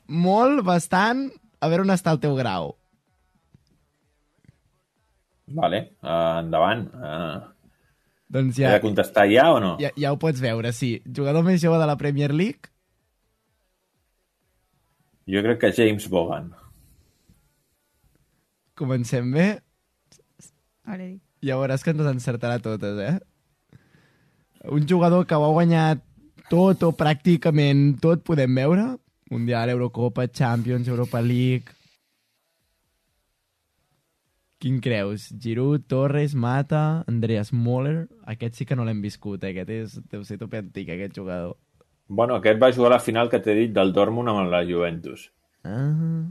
molt, bastant, a veure on està el teu grau. Vale, endavant. Doncs He ja, de contestar ja o no? ja ho pots veure, sí. Jugador més jove de la Premier League? Jo crec que James Bogan. Comencem bé. Ara dic. Ja veuràs que ens encertarà totes, eh? Un jugador que ho ha guanyat tot o pràcticament tot, podem veure. Mundial, Eurocopa, Champions, Europa League... Quin creus? Giroud, Torres, Mata, Andreas Möller... Aquest sí que no l'hem viscut, eh? Deu ser tope antic, aquest jugador. Bueno, aquest va jugar a la final que t'he dit del Dortmund amb la Juventus. Ah,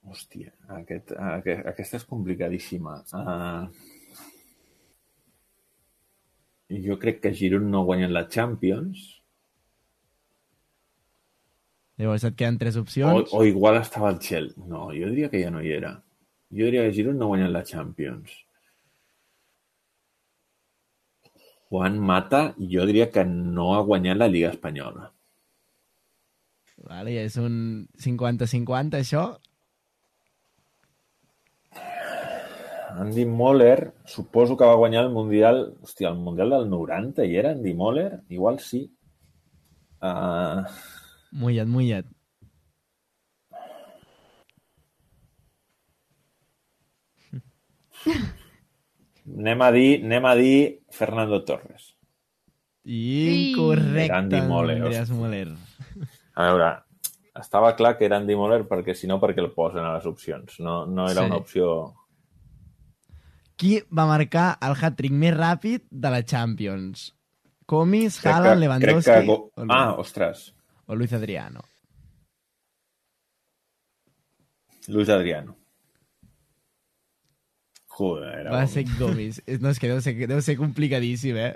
Hòstia, aquesta és complicadíssima. Jo crec que Giroud no ha guanyat la Champions. llavors et queden 3 opcions. O igual estava al Chelsea. No, jo diria que ja no hi era. Jo diria que Giroud no ha guanyat la Champions. Juan Mata, jo diria que no ha guanyat la Lliga Espanyola. Vale, ja és un 50-50, això. Andy Möller, suposo que va guanyar el Mundial... Hòstia, el Mundial del 90 hi era Andy Möller? Igual sí. Mullat. Anem a dir Fernando Torres. Incorrecte, Era Andy Möller, Andreas hòstia. Möller. A veure, estava clar que era Andy Möller perquè si no, perquè el posen a les opcions. No era Sí. una opció... Qui va marcar el hat-trick més ràpid de la Champions? Comis, Crec Haaland, que- Lewandowski crec que... o ostres. Luis Adriano? Luis Adriano. Joder, era Va bon. ser Gomis. No, és que deu ser complicadíssim, eh?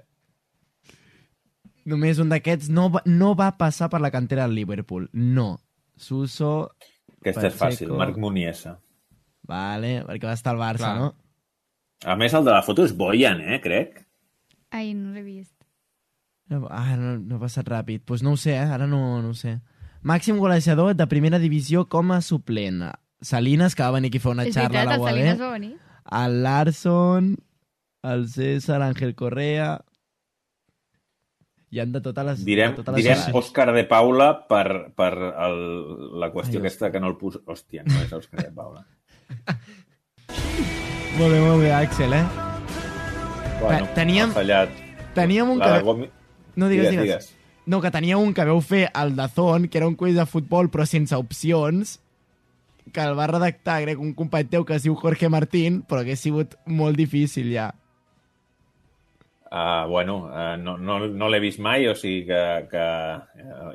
Només un d'aquests no va passar per la cantera del Liverpool. No. Suso... Aquesta és fàcil, Pacheco. Marc Muniesa. Vale, perquè va estar al Barça, Clar. no? A més, el de la foto és Boyan, crec. Ai, no l'he vist. No ha passat ràpid. Doncs pues no ho sé, ara no ho sé. Màxim golejador de primera divisió com a suplent. Salinas, que va venir aquí a fer una És xarra a veritat, la el UAB. Salinas va venir. El Larson, el César, Ángel Correa... Hi han de totes les... Direm de totes les edats. Òscar de Paula per la qüestió Ai, aquesta que no el posa... Hòstia, no és Òscar de Paula. Molt bé, Axel, eh? Bueno, teníem- ha fallat. Teníem un La que... Gomi... No, digues. No, que tenia un que veu fer al Dazón, que era un quiz de futbol però sense opcions, que el va redactar, crec, un company teu que es diu Jorge Martín, però que ha sigut molt difícil ja. No l'he vist mai, o sigui que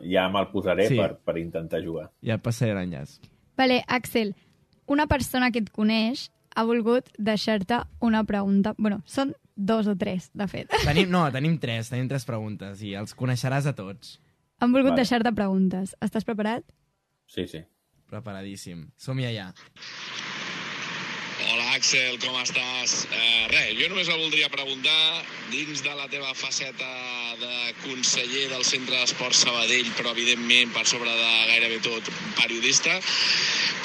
ja me'l posaré Sí. per intentar jugar. Ja et passaré l'enllaç. Vale, Axel, una persona que et coneix ha volgut deixar-te una pregunta. Bueno, són 2 o 3, de fet. Tenim tres preguntes i els coneixeràs a tots. Han volgut Vale. deixar-te preguntes. Estàs preparat? Sí, sí. Preparadíssim. Som-hi allà. Hola Axel, com estàs? Jo només la voldria preguntar, dins de la teva faceta de conseller del Centre d'Esport Sabadell, però evidentment per sobre de gairebé tot periodista,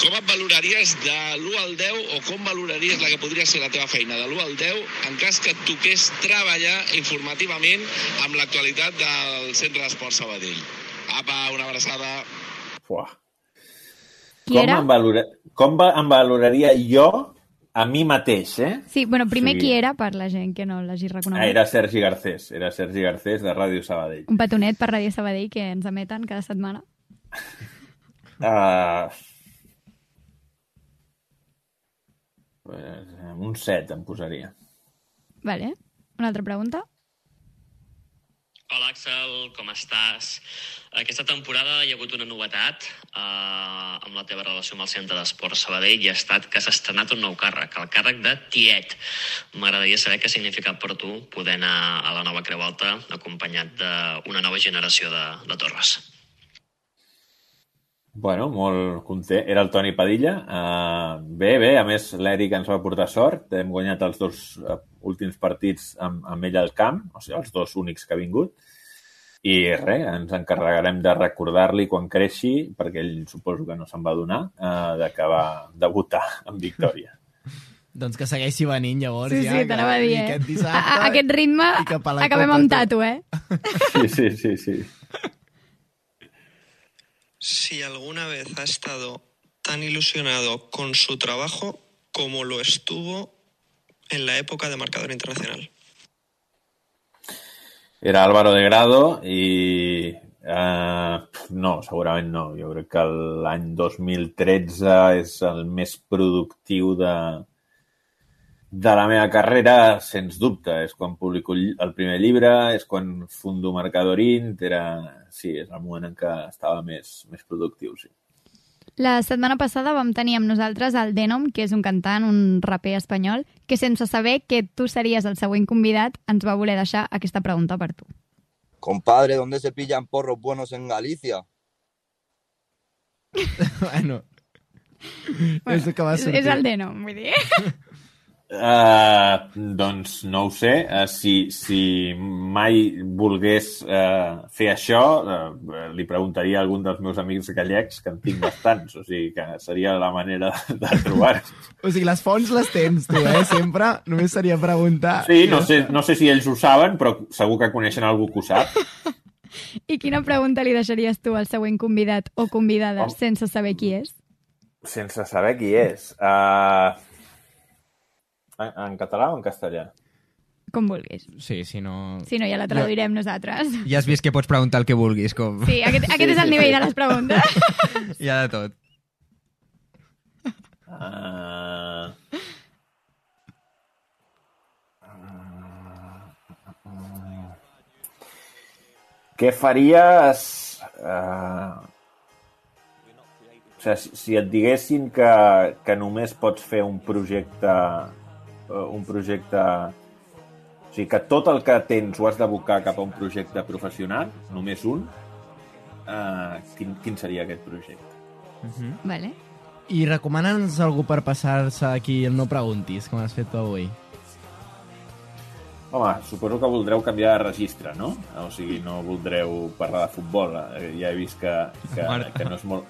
com et valoraries de l'1 al 10 o com valoraries la que podria ser la teva feina de l'1 al 10 en cas que et toqués treballar informativament amb l'actualitat del Centre d'Esport Sabadell? Apa, una abraçada. Fuà. Qui era? Com em valoraria jo a mi mateix, Sí, bueno, primer Sí. qui era, per la gent que no l'hagi reconegut. Era Sergi Garcés. Era Sergi Garcés de Ràdio Sabadell. Un petonet per Ràdio Sabadell que ens emeten cada setmana. Un 7 em posaria. Vale. Una altra pregunta? Hola Axel, com estàs? Aquesta temporada hi ha hagut una novetat amb la teva relació amb el Centre d'Esport Sabadell i ha estat que s'ha estrenat un nou càrrec, el càrrec de tiet. M'agradaria saber què ha significat per tu poder anar a la nova Creu Alta acompanyat d'una nova generació de torres. Bueno, molt content. Era el Toni Padilla. Bé, a més l'Eric ens va portar sort. Hem guanyat els 2 últims partits amb ell al camp, o sigui, els 2 únics que ha vingut. I res, ens encarregarem de recordar-li quan creixi, perquè ell suposo que no se'n va adonar, de que va debutar en victòria. Doncs que segueixi venint, llavors, Sí, ja. sí, t'anava a dir, I aquest dissabte... A aquest ritme i cap a la acabem Copa amb tot. tatu, eh? Sí. Si alguna vez ha estado tan ilusionado con su trabajo como lo estuvo en la época de marcador internacional. Era Álvaro de Grado i... no, segurament no. Jo crec que l'any 2013 és el més productiu de la meva carrera, sens dubte. És quan publico el primer llibre, és quan fundo Marcadorint, sí, és el moment en què estava més productiu, sí. La setmana passada vam tenir amb nosaltres el Denom, que és un cantant, un raper espanyol, que sense saber que tu series el següent convidat ens va voler deixar aquesta pregunta per tu. Compadre, ¿dónde se pillan porros buenos en Galicia? Bueno, és el que va sortir. És el Denom, vull dir. Doncs no ho sé. Si mai volgués fer això, li preguntaria a algun dels meus amics gallecs, que en tinc bastants. O sigui que seria la manera de trobar-los. O sigui, les fonts les tens tu, Sempre. Només seria preguntar... Sí, no sé si ells ho saben, però segur que coneixen algú que ho sap. I quina pregunta li deixaries tu al següent convidat o convidada sense saber qui és? Sense saber qui és. En català o en castellà? Com vulguis. Sí, si no... Si no, ja la traduirem nosaltres. Ja has vist que pots preguntar el que vulguis. Com... Sí, aquest és el nivell de les preguntes. Hi ha de tot. Què faries sigui, si et diguessin que només pots fer un projecte... O sigui, que tot el que tens ho has d'abocar cap a un projecte professional, només un, quin seria aquest projecte? Vale. I recomana'ns algú per passar-se aquí el No Preguntis, com has fet tu avui. Home, suposo que voldreu canviar de registre, no? O sigui, no voldreu parlar de futbol. Ja he vist que no és molt...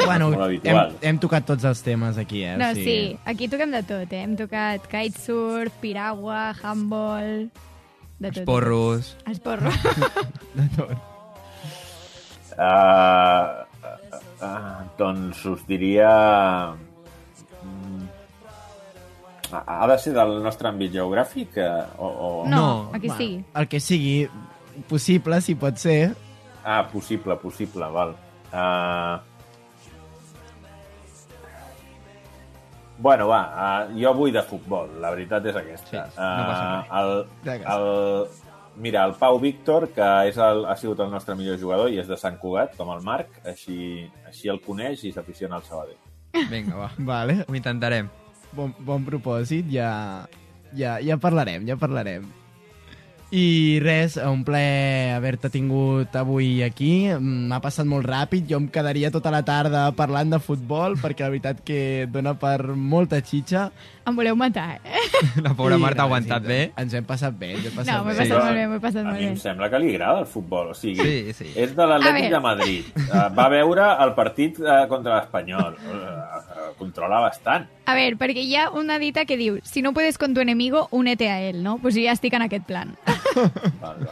Bueno, molt habitual. hem tocat tots els temes aquí, No, sí, aquí toquem de tot, eh? Hem tocat kitesurf, piragua, handball... De tot. Porros. Els porros. De tot. Doncs us diria... Ha de ser del nostre àmbit geogràfic? O... No, aquí bueno, sí. El que sigui possible, si pot ser. Possible, val. Bueno, va, jo vull de futbol, la veritat és aquesta. Sí, no passa res. Mira, el Pau Víctor, que ha sigut el nostre millor jugador i és de Sant Cugat, com el Marc, així el coneix i s'aficiona al Sabadell. Vinga, va. Vale. Ho intentarem. Bon propòsit, ja parlarem. I res, un plaer haver-te tingut avui aquí. M'ha passat molt ràpid, jo em quedaria tota la tarda parlant de futbol, perquè la veritat que dona per molta xitxa. Em voleu matar, eh? La pobra I, Marta ha aguantat bé. Ens hem passat bé, No, m'he passat molt bé, m'he passat A molt mi bé. em sembla que li agrada el futbol, o sigui, Sí. és de l'Atlètic A de veure. Madrid, va veure el partit contra l'Espanyol, controla bastant. A veure, perquè hi ha una dita que diu si no puedes con tu enemigo, únete a él, no? Pues jo ja estic en aquest plan. Val.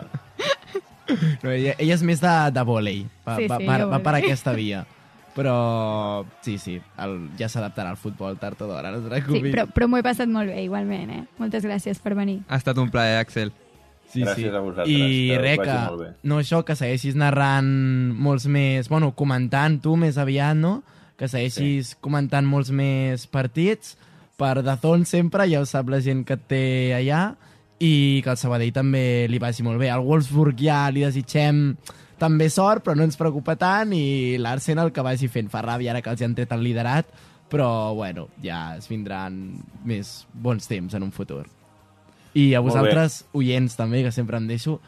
No, ella és més de vòlei, Sí, va jo per vòlei. aquesta via. Però sí, ja s'adaptarà al futbol tard o d'hora, no et Sí, preocupis. però m'ho he passat molt bé, igualment, eh? Moltes gràcies per venir. Ha estat un plaer, Axel. Gràcies a vosaltres, I que us res, vagi molt bé. no això, que segueixis narrant molts més... Bueno, comentant tu més aviat, no? Que segueixis comentant molts més partits per DAZN sempre, ja ho sap la gent que et té allà, i que el Sabadell també li vagi molt bé. Al Wolfsburg ja li desitgem també sort, però no ens preocupa tant, i l'Arsenal que vagi fent. Fa ràbia ara que els han tret el liderat, però bueno, ja es vindran més bons temps en un futur. I a Molt vosaltres, oients també, que sempre em deixo,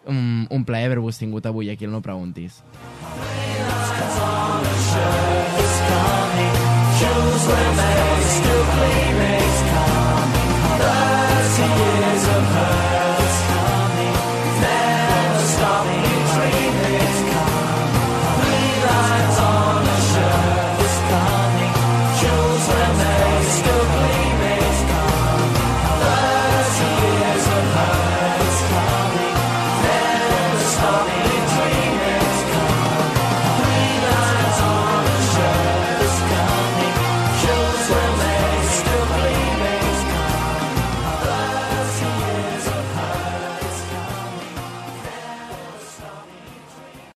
un plaer haver-vos tingut avui aquí al No Preguntis. Shows where still gleaming.